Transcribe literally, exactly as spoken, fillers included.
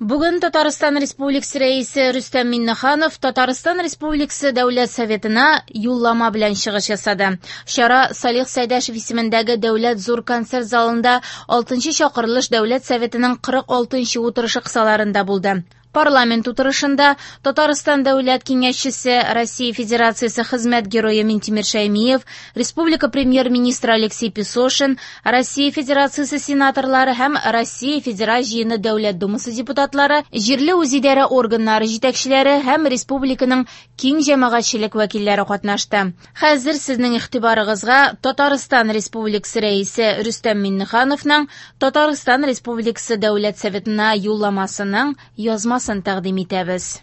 Бүген Татарстан Республикасы Рәисе Рөстәм Миңнеханов Татарстан Республикасы Дәүләт Советына Юллама белән чыгыш ясады. Чара Салих Сәйдәшев исемендәге Дәүләт зур концерт залында алтынчы чакырылыш Дәүләт Советының кырык алтынчы утырышы кысаларында булды. Парламент утырышында Татарстан Дәүләт Киңәшчесе, Россия Федерациясе хезмәт герое Минтимер Шәймиев, Республика премьер-министры Алексей Песошин, Россия Федерациясе сенаторлары һәм Россия Федераль Җыены Дәүләт Думасы депутатлары, җирле үзидарә органнары җитәкчеләре һәм республиканың киң җәмәгатьчелек вәкилләре катнашты. Хәзер сезнең игътибарыгызга Татарстан Республикасы Рәисе Рөстәм Миңнехановның Татарстан Республикасы Дәүләт Советына юлламасының язмасын тәкъдим итәбез.